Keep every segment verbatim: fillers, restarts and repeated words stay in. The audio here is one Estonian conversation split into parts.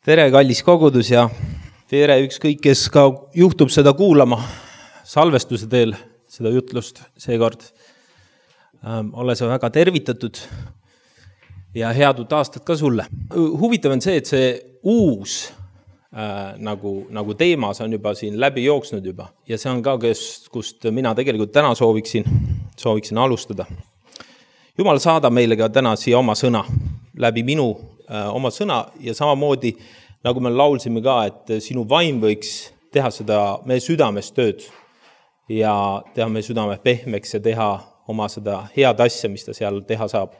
Tere, kallis kogudus ja tere ükskõik, kes ka juhtub seda kuulama salvestuse teel, seda jutlust seekord. Ähm, ole sa väga tervitatud ja head uut aastat ka sulle. Huvitav on see, et see uus äh, nagu, nagu teemas on juba siin läbi jooksnud juba ja see on ka, kes, kust mina tegelikult täna sooviksin, sooviksin alustada. Jumal saada meile ka täna siia oma sõna läbi minu äh, oma sõna ja samamoodi, nagu me laulsime ka, et sinu vaim võiks teha seda meie südames tööd ja teha meie südame pehmeks ja teha oma seda head asja, mis ta seal teha saab.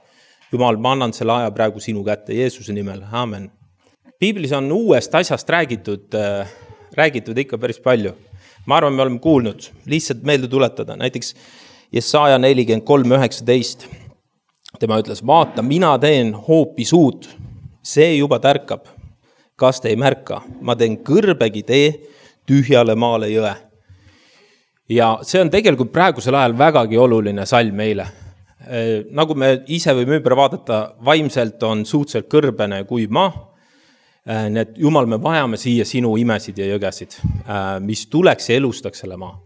Jumal, ma annan selle aja praegu sinu kätte Jeesuse nimel. Amen. Piiblis on uuest asjast räägitud, äh, räägitud ikka päris palju. Ma arvan, me oleme kuulnud, lihtsalt meelde tuletada. Näiteks Jesaja nelikümmend kolm üheksateist. Tema ütles, vaata, mina teen hoopis uut, see juba tärkab, kas te ei märka, ma teen kõrbegi tee tühjale maale jõe. Ja see on tegelikult praegusel ajal vägagi oluline salm meile. Nagu me ise võime ümber vaadata, vaimselt on suhteliselt kõrbene kui maa, nii et Jumal, me vajame siia sinu imesid ja jõgesid, mis tuleks ja elustaks selle maa.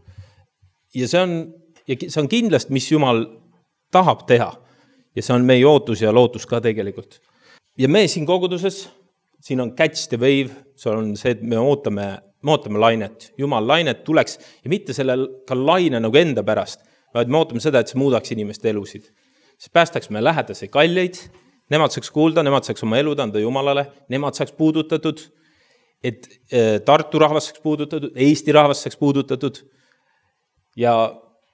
Ja see on, ja see on kindlasti, mis Jumal tahab teha. Ja see on meie ootus ja lootus ka tegelikult. Ja me siin koguduses, siin on catch the wave, see on see, et me ootame, me ootame lainet. Jumal lainet tuleks ja mitte selle ka laine nagu enda pärast, vaid me ootame seda, et see muudaks inimeste elusid. See päästaks me lähedase kalleid, nemad saaks kuulda, nemad saaks oma elu anda Jumalale, nemad saaks puudutatud, et Tartu rahvas saaks puudutatud, Eesti rahvas saaks puudutatud ja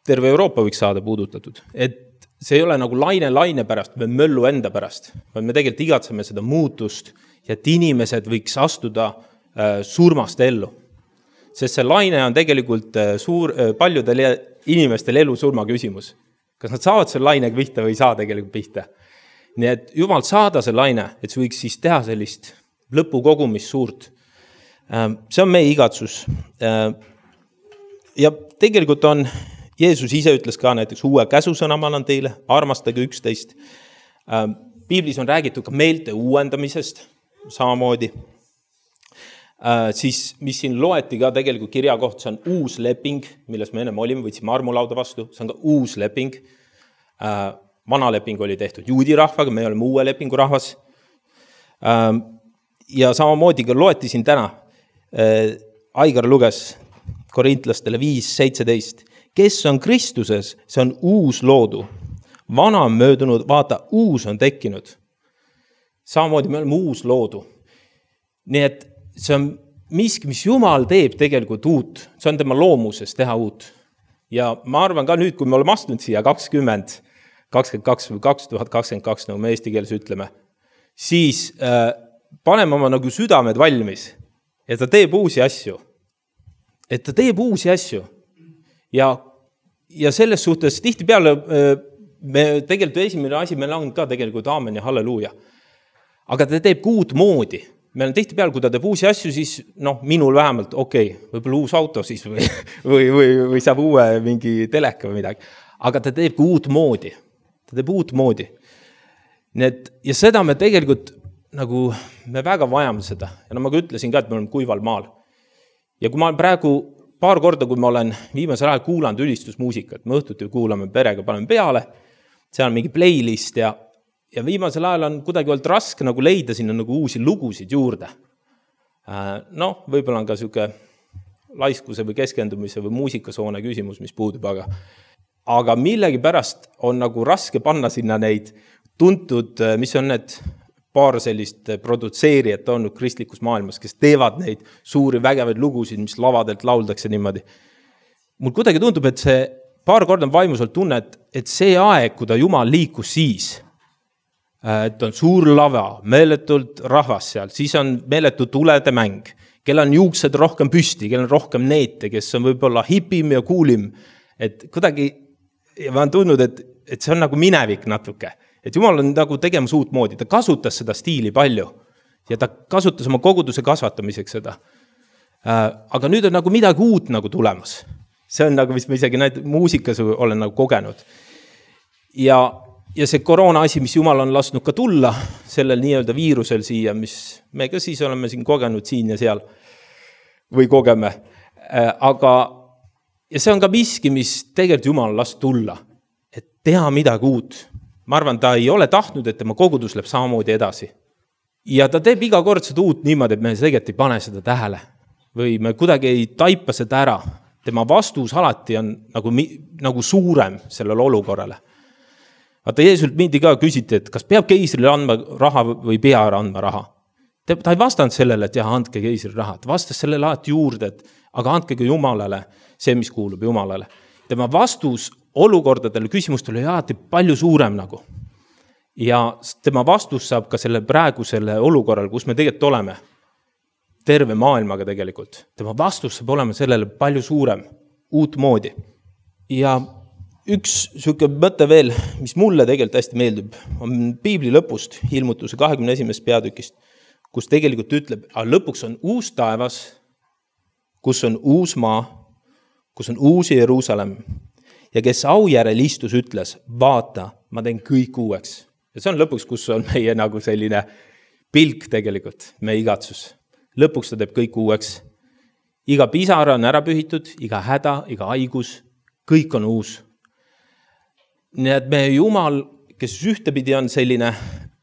terve Euroopa võiks saada puudutatud. Et see ei ole nagu laine laine pärast või möllu enda pärast, vaid me tegelikult igatseme seda muutust ja et inimesed võiks astuda äh, surmast ellu. Sest see laine on tegelikult äh, suur, äh, paljudel inimestel elu surma küsimus. Kas nad saavad selle lainega pihta või ei saa tegelikult pihta. Nii et Jumal saada see laine, et see võiks siis teha sellist lõpukogumist suurt. Äh, see on meie igatsus. Äh, ja tegelikult on Jeesus ise ütles ka näiteks uue käsusõna ma annan teile, armastage üksteist. Piiblis on räägitud ka meelte uuendamisest samamoodi. Siis, mis siin loeti ka tegelikult kirja koht, see on uus leping, milles me ennem olime, võtsime armulauda vastu, see on ka uus leping. Vana leping oli tehtud juudi rahvaga, me oleme uue lepingu rahvas. Ja samamoodi ka loeti siin täna. Aigar luges Korintlastele viis seitseteist. Kes on Kristuses, see on uus loodu. Vana on möödunud, vaata, uus on tekkinud. Samamoodi me oleme uus loodu. Nii et see on miski, mis Jumal teeb tegelikult uut. See on tema loomuses teha uut. Ja ma arvan ka nüüd, kui me oleme astunud siia kakskümmend, kakskümmend kaks või kaks tuhat kakskümmend kaks, nagu me eesti keeles ütleme, siis äh, paneme oma nagu südamed valmis. Ja ta teeb uusi asju. Et ta teeb uusi asju. Ja, ja selles suhtes tihti peale me tegelikult esimene asi meil on ka tegelikult aamen ja halleluuja. Aga ta teeb uut moodi. Meil on tihti peale, kui ta teeb uusi asju, siis noh, minul vähemalt, okei, okay, võib-olla uus auto siis või, või, või, või saab uue mingi teleka või midagi. Aga ta teeb uut moodi. Ta teeb uut moodi. Nii et, ja seda me tegelikult nagu, me väga vajame seda. Ja no ma ka ütlesin ka, et me oleme kuival maal. Ja kui ma praegu paar korda, kui ma olen viimasel ajal kuulanud ülistusmuusikat, me õhtuti kuulame perega, paneme peale, seal on mingi playlist ja, ja viimasel ajal on kuidagi olnud raske nagu leida sinna nagu uusi lugusid juurde. Noh, võib-olla on ka siuke laiskuse või keskendumise või muusikasoone küsimus, mis puudub, aga, aga millegi pärast on nagu raske panna sinna neid tuntud, mis on need paar sellist produtseerijat olnud kristlikus maailmas, kes teevad neid suuri vägevaid lugusid, mis lavadelt lauldakse niimoodi. Mul kuidagi tundub, et see paar korda on vaimus olnud tunne, et, et see aeg, kui ta Jumal liikus siis, et on suur lava, meeletult rahvas seal, siis on meeletu tulede mäng, kel on juuksed rohkem püsti, kel on rohkem neete, kes on võib-olla hipim ja kuulim, et kuidagi, ja ma olen tundnud, et, et see on nagu minevik natuke. Et Jumal on nagu tegemas uut moodi, ta kasutas seda stiili palju ja ta kasutas oma koguduse kasvatamiseks seda. Aga nüüd on nagu midagi uut nagu tulemas. See on nagu, mis ma isegi näid, muusikas olen nagu kogenud. Ja ja see koroona asi, mis Jumal on lasknud ka tulla, sellel nii-öelda viirusel siia, mis me ka siis oleme siin kogenud siin ja seal või kogeme. Aga, ja see on ka miski, mis tegelikult Jumal on lasknud tulla, et teha midagi uut. Ma arvan, ta ei ole tahtnud, et tema kogudus läheb samamoodi edasi. Ja ta teeb iga kord seda uut niimoodi, et me tegelikult ei pane seda tähele. Või me kuidagi ei taipa seda ära. Tema vastus alati on nagu, nagu suurem sellele olukorrale. Vaata, Jeesult mindi ka küsiti, et kas peab keisrile andma raha või pea andma raha. Ta ei vastanud sellele, et jah, andke keisrile raha. Ta vastas sellele alati juurde, et aga andke ka Jumalale see, mis kuulub Jumalale. Tema vastus olukordadele, küsimustele oli alati palju suurem nagu. Ja tema vastus saab ka selle praegusele olukorral, kus me tegelikult oleme, terve maailmaga tegelikult. Tema vastus saab olema sellele palju suurem, uut moodi. Ja üks siuke mõte veel, mis mulle tegelikult hästi meeldib, on Piibli lõpust, ilmutuse kahekümne esimesest peatükist, kus tegelikult ütleb, aga lõpuks on uus taevas, kus on uus maa, kus on uus Jeruusalemm. Ja kes au järel istus ütles, vaata, ma teen kõik uueks. Ja see on lõpuks, kus on meie nagu selline pilk tegelikult, meie igatsus. Lõpuks ta teeb kõik uueks. Iga pisara on ära pühitud, iga häda, iga haigus, kõik on uus. Nii et meie Jumal, kes ühtepidi on selline,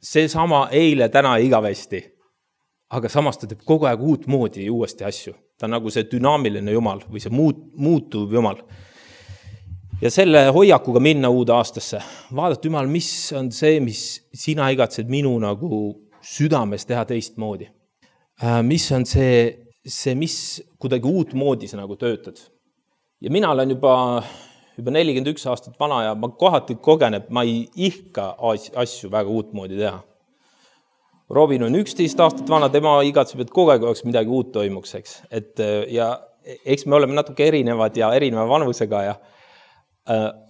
see sama eile, täna ja igavesti, aga samas ta teeb kogu aeg uut moodi ja uuesti asju. Ta on nagu see dünaamiline Jumal või see muut, muutuv Jumal. Ja selle hoiakuga minna uude aastasse. Vaadata Jumal, mis on see, mis sina igatsed minu nagu südames teha teist moodi. Mis on see, see, mis kuidagi uut moodi sa nagu töötad. Ja mina olen juba, juba nelikümmend üks aastat vana ja ma kohati kogen, et ma ei ihka asju väga uut moodi teha. Robin on üksteist aastat vana, tema igatseb, et kogu aeg oleks midagi uut toimuks, eks. Et, ja eks me oleme natuke erinevad ja erineva vanusega ja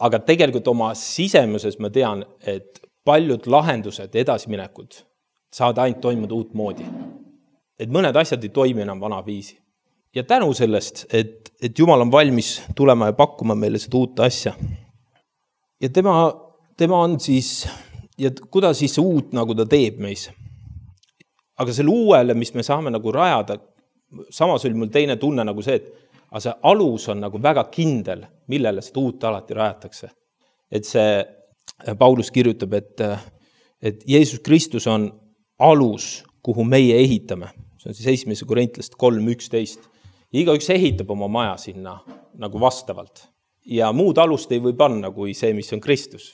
aga tegelikult oma sisemuses ma tean, et paljud lahendused, edasiminekud saavad ainult toimuda uut moodi. Et mõned asjad ei toimi enam vana viisi. Ja tänu sellest, et, et Jumal on valmis tulema ja pakkuma meile seda uut asja. Ja tema, tema on siis, ja kuidas siis see uut nagu ta teeb meis. Aga selle uuele, mis me saame nagu rajada, samas oli mul teine tunne nagu see, et aga see alus on nagu väga kindel, millele seda uut alati rajatakse. Et see Paulus kirjutab, et, et Jeesus Kristus on alus, kuhu meie ehitame. See on siis esimese Korintlast kolm üksteist. Igaüks ehitab oma maja sinna nagu vastavalt. Ja muud alust ei või panna kui see, mis on Kristus.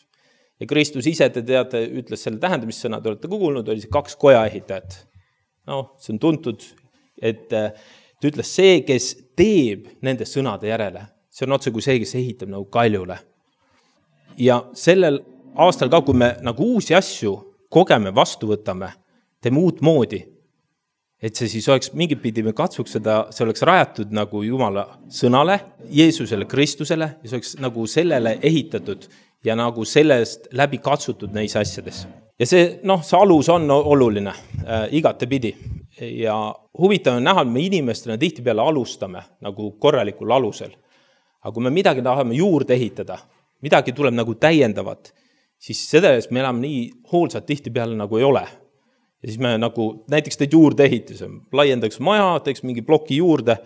Ja Kristus ise, te teate, ütles selle tähendamissõna, te olete kuulnud, oli see kaks koja ehitajat. No, see on tuntud, et ta ütles see, kes teeb nende sõnade järele. See on otse kui see, kes ehitab nagu kaljule. Ja sellel aastal ka, kui me nagu uusi asju kogeme, vastu võtame, teeme uut moodi, et see siis oleks mingit pidi, me katsuks seda, see oleks rajatud nagu Jumala sõnale, Jeesusele, Kristusele, ja see oleks nagu sellele ehitatud ja nagu sellest läbi katsutud neis asjades. Ja see, noh, see alus on oluline äh, igate pidi. Ja huvitav on näha, et me inimestena tihtipeale alustame nagu korralikul alusel. Aga kui me midagi tahame juurde ehitada, midagi tuleb nagu täiendavat, siis seda eest me elame nii hoolsad tihtipeale nagu ei ole. Ja siis me nagu näiteks teed juurde ehituse, laiendaks maja, teeks mingi ploki juurde,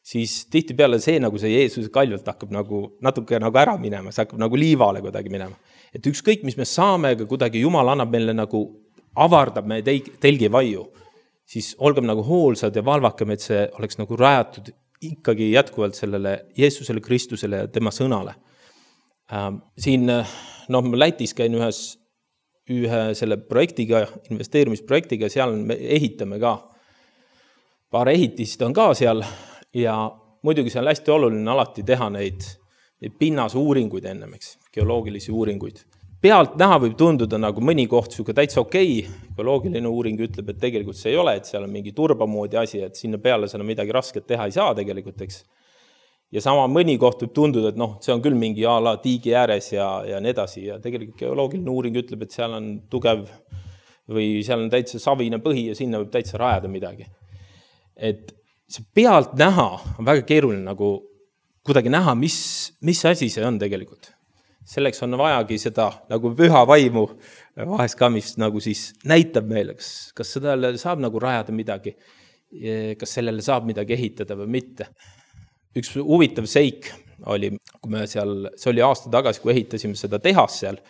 siis tihtipeale see nagu see Jeesuse kaljult hakkab nagu natuke nagu ära minema, see hakkab nagu liivale kuidagi minema. Et ükskõik, mis me saame, aga kuidagi Jumal annab meile nagu avardab meie telgi vaiu, siis olgem nagu hoolsad ja valvakem, et see oleks nagu rajatud ikkagi jätkuvalt sellele Jeesusele, Kristusele ja tema sõnale. Ähm, siin, noh, ma Lätis käin ühes, ühe selle projektiga, investeerimisprojektiga, seal me ehitame ka. Paar ehitist on ka seal ja muidugi see on hästi oluline alati teha neid, neid pinnase uuringuid ennemeks, geoloogilisi uuringuid. Pealt näha võib tunduda nagu mõni koht siuke täitsa okei, geoloogiline uuring ütleb, et tegelikult see ei ole, et seal on mingi turbamoodi asi, et sinna peale seda midagi rasket teha ei saa tegelikult, eks. Ja sama mõni koht võib tunduda, et noh, see on küll mingi ala tiigi ääres ja, ja nii edasi ja tegelikult geoloogiline uuring ütleb, et seal on tugev või seal on täitsa savine põhi ja sinna võib täitsa rajada midagi. Et see pealt näha on väga keeruline nagu kuidagi näha, mis, mis asi see on tegelikult. selleks on vajagi seda nagu püha vaimu vahest ka, mis nagu siis näitab meile, kas, kas seda saab nagu rajada midagi, kas sellele saab midagi ehitada või mitte. Üks huvitav seik oli, kui me seal, see oli aasta tagasi, kui ehitasime seda tehas seal,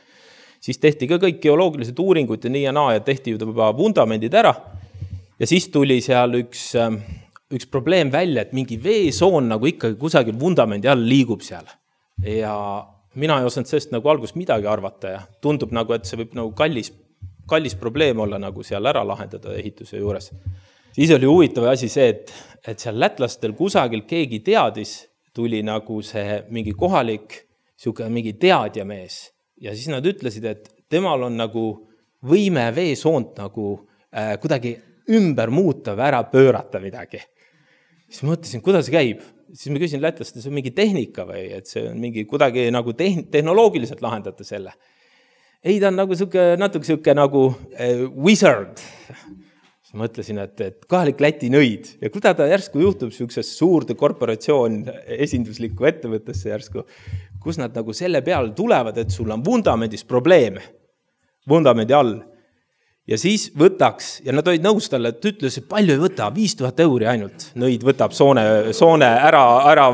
siis tehti ka kõik geoloogilised uuringud ja nii ja naa ja tehti juba vundamendid ära. Ja siis tuli seal üks, üks probleem välja, et mingi veesoon nagu ikkagi kusagil vundamendi all liigub seal. Ja mina ei osanud sellest nagu algust midagi arvata ja tundub nagu, et see võib nagu kallis, kallis probleem olla nagu seal ära lahendada ehituse juures. Siis oli huvitav asi see, et, et seal lätlastel kusagil keegi teadis, tuli nagu see mingi kohalik siuke mingi teadjamees ja siis nad ütlesid, et temal on nagu võime veesoont nagu äh, kuidagi ümber muuta või ära pöörata midagi. Siis ma mõtlesin, kuidas see käib? Siis ma küsin lätlast, see on mingi tehnika või, et see on mingi kuidagi nagu tehn- tehnoloogiliselt lahendada selle. Ei, ta on nagu siuke, natuke siuke nagu äh, wizard. Siis mõtlesin, et, et kohalik Läti nõid ja kuidas ta järsku juhtub siukses suurde korporatsioon esinduslikku ettevõttesse järsku, kus nad nagu selle peale tulevad, et sul on vundamendis probleeme, vundamendi all. Ja siis võtaks, ja nad olid nõus talle, et ütles, et palju ei võta, viis tuhat euri ainult, nõid võtab soone, soone ära, ära,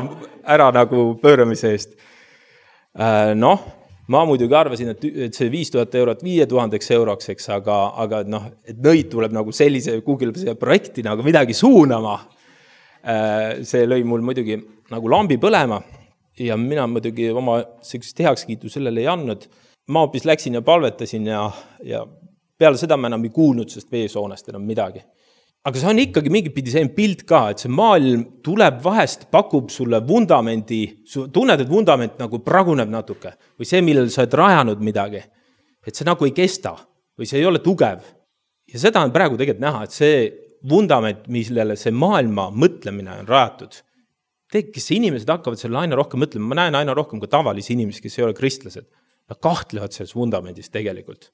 ära nagu pööramise eest. Noh, ma muidugi arvasin, et, et see viis tuhat eurot viie tuhandeks euroks, eks, aga, aga noh, et nõid tuleb nagu sellise Google projekti nagu midagi suunama. See lõi mul muidugi nagu lambi põlema ja mina muidugi oma sellist heakskiitu sellele ei andnud. Ma hoopis läksin ja palvetasin ja, ja peale seda ma enam ei kuulnud sest veesoonest enam midagi. Aga see on ikkagi mingipidi see pilt ka, et see maailm tuleb vahest, pakub sulle vundamendi, tunned, et vundament nagu praguneb natuke või see, millel sa oled rajanud midagi, et see nagu ei kesta või see ei ole tugev. Ja seda on praegu tegelikult näha, et see vundament, millele see maailma mõtlemine on rajatud, kes inimesed hakkavad selle aina rohkem mõtlema, ma näen aina rohkem kui tavalisi inimesi, kes ei ole kristlased, nad kahtlevad selles vundamendis tegelikult.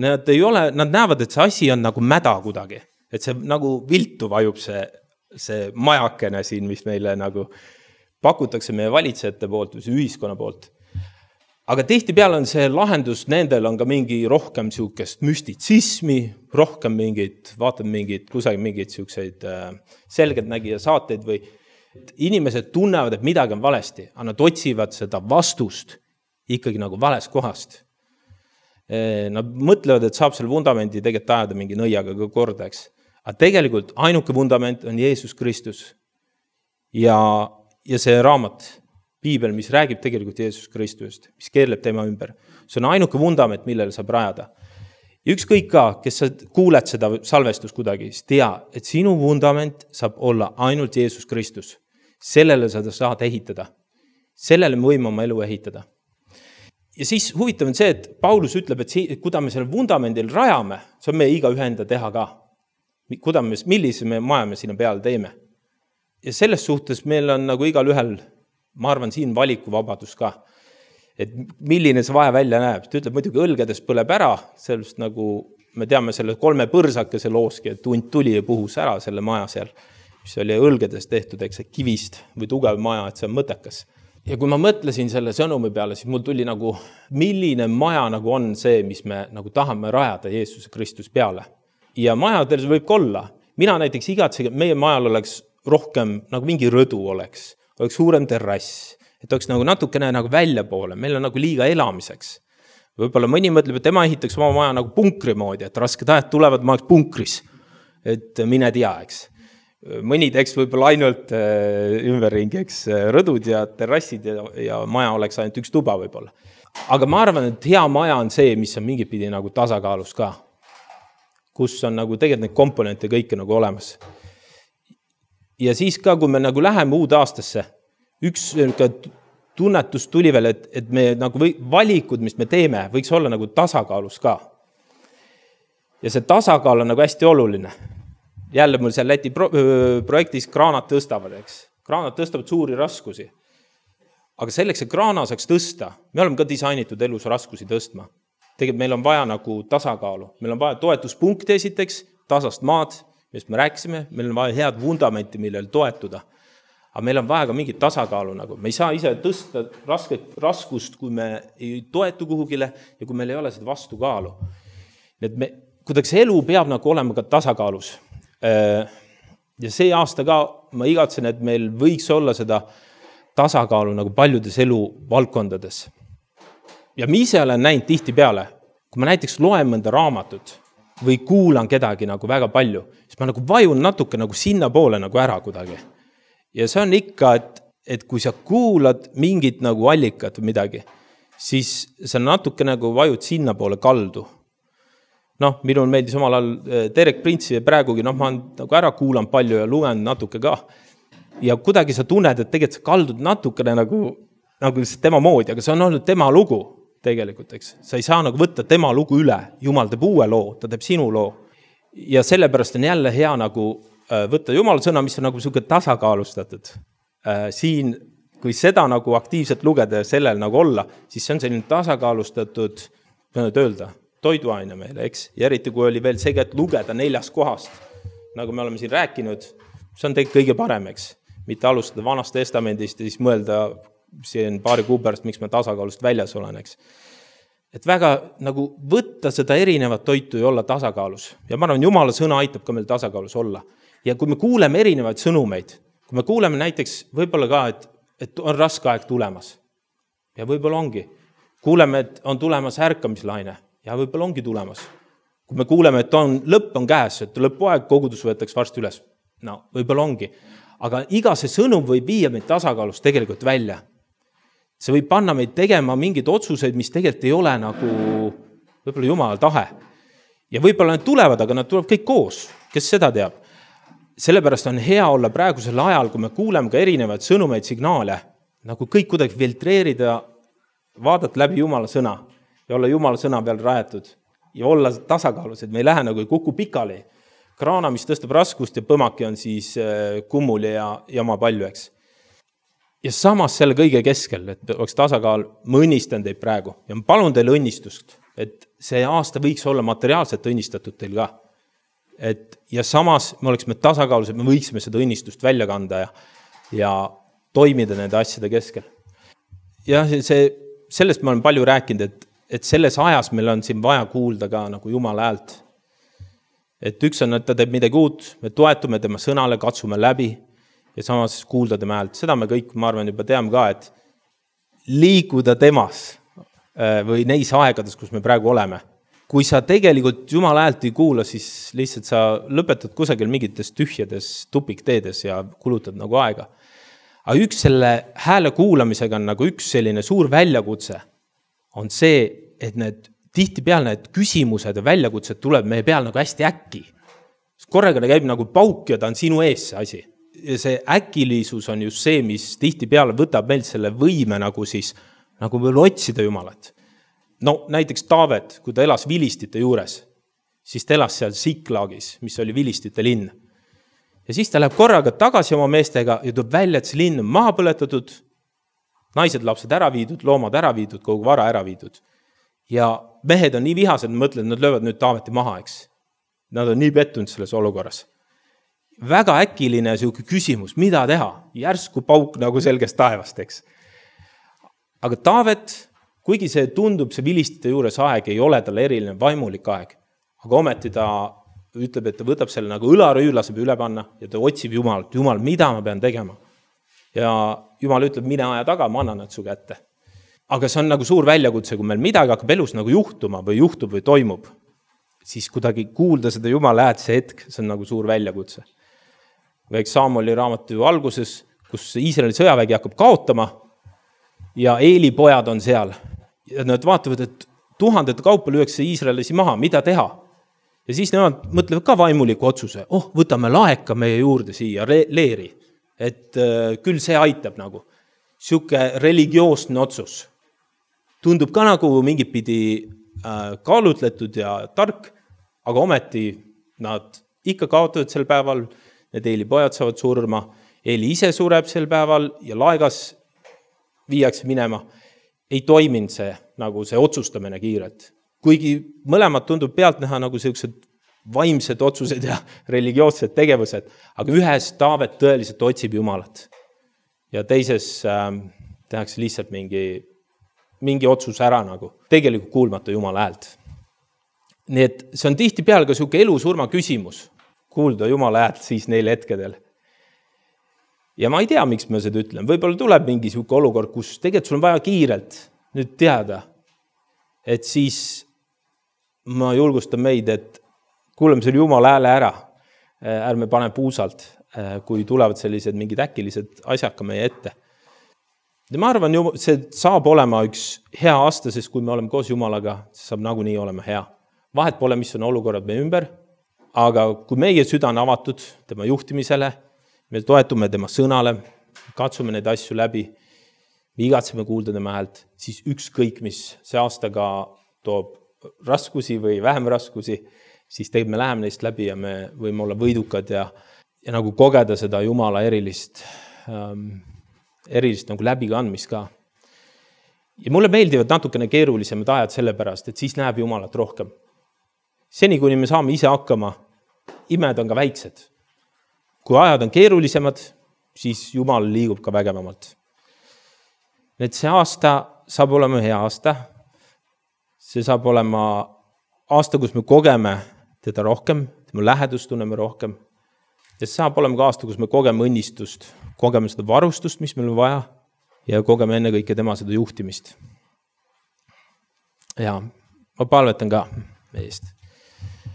Nad, ei ole, nad näevad, et see asi on nagu mäda kuidagi, et see nagu viltu vajub see, see majakene siin, mis meile nagu pakutakse meie valitsejate poolt või see ühiskonna poolt. Aga tihti peale on see lahendus, nendel on ka mingi rohkem siukest müstitsismi, rohkem mingid, vaatad mingid, kusagil mingid siukseid äh, selgelt nägija saateid või inimesed tunnevad, et midagi on valesti, aga nad otsivad seda vastust ikkagi nagu vales kohast. Nad mõtlevad, et saab selle vundamendi tegelikult ajada mingi nõiaga ka korda, eks. Aga tegelikult ainuke vundament on Jeesus Kristus. Ja, ja see raamat, piibel, mis räägib tegelikult Jeesus Kristusest, mis keerleb tema ümber. See on ainuke vundament, millele saab rajada. Ja ükskõik ka, kes sa kuuled seda salvestust kuidagi, siis tea, et sinu vundament saab olla ainult Jeesus Kristus. Sellele sa saad ehitada. Sellele me võime oma elu ehitada. Ja siis huvitav on see, et Paulus ütleb, et kuidas me selle vundamendil rajame, see on meie iga ühe enda teha ka. Kuidas me, millise me maja me sinna peale teeme. Ja selles suhtes meil on nagu igal ühel, ma arvan, siin valikuvabadus ka. Et milline see vaja välja näeb. Ta ütleb, muidugi õlgedes põleb ära, sellest nagu me teame selle kolme põrsakese looski, et tund tuli ja puhus ära selle maja seal, mis oli õlgedes tehtud, eks see kivist või tugev maja, et see on mõttekas. Ja kui ma mõtlesin selle sõnumi peale, siis mul tuli nagu, milline maja nagu on see, mis me nagu tahame rajada Jeesuse Kristus peale. Ja majadel võib olla. Mina näiteks igatsen, meie majal oleks rohkem, nagu mingi rõdu oleks, oleks suurem terrass, et oleks nagu natukene nagu välja poole, meil on nagu liiga elamiseks. Võib-olla mõni mõtleb, et tema ehitaks oma maja nagu punkri moodi, et rasked ajad tulevad, ma oleks punkris, et mine tea, eks. Mõni teeks võib-olla ainult ümberringi, eks, rõdud ja terrassid ja, ja maja oleks ainult üks tuba võib-olla. Aga ma arvan, et hea maja on see, mis on mingipidi nagu tasakaalus ka, kus on nagu tegelikult neid komponente kõike nagu olemas. Ja siis ka, kui me nagu läheme uude aastasse, üks tunnetus tuli veel, et, et me nagu või, valikud, mis me teeme, võiks olla nagu tasakaalus ka. Ja see tasakaal on nagu hästi oluline. Jälle mul seal Läti pro- projektis kraanad tõstavad, eks. Kraanad tõstavad suuri raskusi. Aga selleks, et kraana saaks tõsta, me oleme ka disainitud elus raskusi tõstma. Tegelikult meil on vaja nagu tasakaalu. Meil on vaja toetuspunkti esiteks, tasast maad, millest me rääkisime, meil on vaja head vundamenti, millel toetuda. Aga meil on vaja ka mingit tasakaalu nagu. Me ei saa ise tõsta raske, raskust, kui me ei toetu kuhugile ja kui meil ei ole seda vastukaalu. Et me, kuidagi elu peab nagu olema ka tasakaalus. Ja see aasta ka ma igatsen, et meil võiks olla seda tasakaalu nagu paljudes elu valdkondades. Ja ma ise olen näinud tihti peale, kui ma näiteks loen mõnda raamatut või kuulan kedagi nagu väga palju, siis ma nagu vajun natuke nagu sinna poole nagu ära kuidagi. Ja see on ikka, et, et kui sa kuulad mingit nagu allikat või midagi, siis sa natuke nagu vajud sinna poole kaldu. Noh, minul meeldis omal ajal Derek Prince'i ja praegugi, noh, ma olen nagu ära kuulan palju ja lugen natuke ka. Ja kuidagi sa tunned, et tegelikult sa kaldud natukene nagu, nagu tema moodi, aga see on olnud tema lugu tegelikult, eks. Sa ei saa nagu võtta tema lugu üle. Jumal teeb uue loo, ta teeb sinu loo. Ja sellepärast on jälle hea nagu võtta Jumala sõna, mis on nagu selline tasakaalustatud. Siin, kui seda nagu aktiivselt lugeda ja sellel nagu olla, siis see on selline tasakaalustatud, mõned öelda, toiduaine meile, eks. Ja eriti, kui oli veel see, et lugeda neljast kohast, nagu me oleme siin rääkinud, see on tegelikult kõige parem, eks. Mitte alustada vanast testamendist ja siis mõelda siin paari kuu pärast, miks me tasakaalust väljas olen, eks. Et väga nagu võtta seda erinevat toitu ja olla tasakaalus. Ja ma arvan, Jumala sõna aitab ka meil tasakaalus olla. Ja kui me kuuleme erinevaid sõnumeid, kui me kuuleme näiteks võib-olla ka, et, et on raske aeg tulemas. Ja võib-olla ongi. Kuuleme, et on tulemas ärkamislaine. Ja võib-olla ongi tulemas. Kui me kuuleme, et on, lõpp on käes, et lõpuaeg kogudus võetaks varsti üles. No, võib-olla ongi. Aga iga see sõnum võib viia meid tasakaalust tegelikult välja. See võib panna meid tegema mingeid otsuseid, mis tegelikult ei ole nagu võib-olla Jumala tahe. Ja võib-olla need tulevad, aga nad tulevad kõik koos. Kes seda teab? Sellepärast on hea olla praegusel ajal, kui me kuuleme ka erinevaid sõnumeid, signaale, nagu kõik kuidagi filtreerida, vaadata läbi Jumala sõna ja olla Jumala sõna peal rajatud ja olla tasakaalus, et me ei lähe nagu ei kuku pikali. Kraana, mis tõstab raskust ja põmaki on siis kummuli ja jama palju, eks. Ja samas selle kõige keskel, et oleks tasakaal, ma õnnistan teid praegu ja ma palun teile õnnistust, et see aasta võiks olla materiaalselt õnnistatud teil ka. Et, ja samas me oleksime tasakaalus, et me võiksime seda õnnistust välja kanda ja, ja toimida nende asjade keskel. Ja see, sellest ma olen palju rääkinud, et, et selles ajas meil on siin vaja kuulda ka nagu Jumala häält. Et üks on, et ta teeb midagi uut, me toetume tema sõnale, katsume läbi ja samas kuulda tema häält. Seda me kõik, ma arvan, juba teame ka, et liikuda temas või neis aegades, kus me praegu oleme. Kui sa tegelikult Jumala häält ei kuula, siis lihtsalt sa lõpetad kusagil mingites tühjades tupikteedes ja kulutad nagu aega. Aga üks selle hääle kuulamisega on nagu üks selline suur väljakutse on see, et need tihti peal need küsimused ja väljakutsed tuleb meie peal nagu hästi äkki. Korraga käib nagu pauk ja ta on sinu ees see asi. Ja see äkilisus on just see, mis tihti peale võtab meilt selle võime nagu siis, nagu veel otsida Jumalat. No näiteks Taavet, kui ta elas Vilistite juures, siis ta elas seal Siklagis, mis oli Vilistite linn. Ja siis ta läheb korraga tagasi oma meestega ja tuleb välja, et see linn on maha põletatud, naised, lapsed ära viidud, loomad ära viidud, kogu vara ära viidud. Ja mehed on nii vihased, et mõtlevad, et nad löövad nüüd Taaveti maha, eks. Nad on nii pettunud selles olukorras. Väga äkiline siuke küsimus, mida teha? Järsku pauk nagu selgest taevast, eks. Aga Taavet, kuigi see tundub, see Vilistite juures aeg ei ole tal eriline vaimulik aeg, aga ometi ta ütleb, et ta võtab selle nagu õlarüüla saab üle panna ja ta otsib Jumalat. Jumal, mida ma pean tegema? Ja Jumal ütleb, mine aja taga, ma annan nad su kätte. Aga see on nagu suur väljakutse, kui meil midagi hakkab elus nagu juhtuma või juhtub või toimub, siis kuidagi kuulda seda Jumala häält see hetk, see on nagu suur väljakutse. Või Saamoli raamatu alguses, kus Iisraeli sõjavägi hakkab kaotama ja Eeli pojad on seal. Ja nad vaatavad, et tuhandete kaupa lüüakse Iisraelisi maha, mida teha? Ja siis nemad mõtlevad ka vaimuliku otsuse, oh, võtame laeka meie juurde siia, leeri, et äh, küll see aitab nagu. Siuke religioosne otsus. Tundub ka nagu mingit pidi äh, kaalutletud ja tark, aga ometi nad ikka kaotavad sel päeval, need Eeli pojad saavad surma, Eeli ise sureb sel päeval ja laegas viiakse minema. Ei toiminud see, nagu see otsustamine kiirelt. Kuigi mõlemad tundub pealt näha nagu sellised vaimsed otsused ja religioossed tegevused, aga ühes Taavet tõeliselt otsib Jumalat. ja teises äh, tehakse lihtsalt mingi, mingi otsus ära nagu, tegelikult kuulmata Jumala häält. Nii et see on tihti peal ka siuke elu-surma küsimus, kuulda Jumala häält siis neil hetkedel. Ja ma ei tea, miks ma seda ütlen. Võib-olla tuleb mingi siuke olukord, kus tegelikult sul on vaja kiirelt nüüd teada, et siis ma julgustan meid, et kuuleme selle Jumala hääle ära, ärme pane puusalt, kui tulevad sellised mingid äkilised asjad ka meie ette. Ja ma arvan, see saab olema üks hea aasta, sest kui me oleme koos Jumalaga, see saab nagunii olema hea. Vahet pole, mis on olukorrad meie ümber, aga kui meie süda on avatud tema juhtimisele, me toetume tema sõnale, katsume neid asju läbi, me igatseme kuulda tema häält, siis ükskõik, mis see aastaga toob raskusi või vähem raskusi, siis tegelikult me läheme neist läbi ja me võime olla võidukad ja, ja nagu kogeda seda Jumala erilist, ähm, erilist nagu läbikandmist ka. Ja mulle meeldivad natukene keerulisemad ajad sellepärast, et siis näeb Jumalat rohkem. Seni, kuni me saame ise hakkama, imed on ka väiksed. Kui ajad on keerulisemad, siis Jumal liigub ka vägevamalt. Et see aasta saab olema hea aasta. See saab olema aasta, kus me kogeme teda rohkem, tema lähedust tunneme rohkem. Ja see saab olema ka aasta, kus me kogeme õnnistust, kogeme seda varustust, mis meil on vaja, ja kogeme enne kõike tema seda juhtimist. Ja ma palvetan ka meie eest.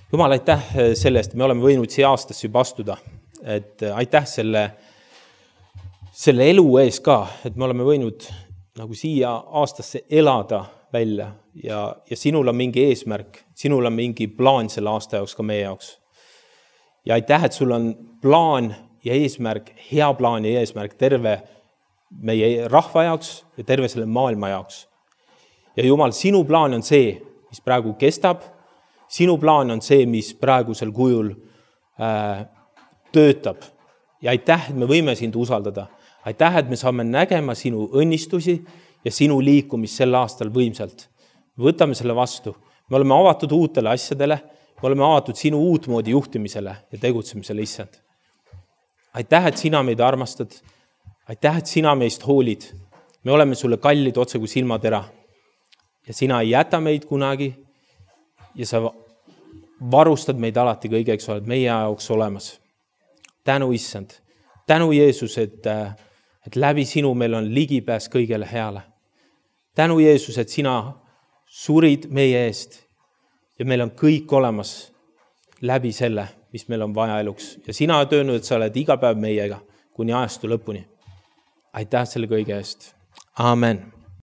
Jumal, aitäh selle eest, me oleme võinud siia aastasse juba astuda. Et aitäh selle, selle elu ees ka, et me oleme võinud nagu siia aastasse elada välja ja, ja sinul on mingi eesmärk, sinul on mingi plaan selle aasta jaoks ka meie jaoks. Ja aitäh, et sul on plaan ja eesmärk, hea plaan ja eesmärk terve meie rahva jaoks ja terve selle maailma jaoks. Ja Jumal, sinu plaan on see, mis praegu kestab, sinu plaan on see, mis praegusel kujul äh, töötab. Ja aitäh, et me võime sind usaldada. Aitäh, et me saame nägema sinu õnnistusi ja sinu liikumist sel aastal võimsalt. Võtame selle vastu. Me oleme avatud uutele asjadele, me oleme avatud sinu uutmoodi juhtimisele ja tegutsemisele, Issand. Aitäh, et sina meid armastad. Aitäh, et sina meist hoolid. Me oleme sulle kallid otse kui silmatera. Ja sina ei jäta meid kunagi ja sa varustad meid alati kõigeks, oled meie jaoks olemas. Tänu, Issand. Tänu, Jeesus, et, et läbi sinu meil on ligipääs kõigele heale. Tänu, Jeesus, et sina surid meie eest ja meil on kõik olemas läbi selle, mis meil on vaja eluks. Ja sina oled öelnud, et sa oled iga päev meiega kuni ajastu lõpuni. Aitäh selle kõige eest. Amen.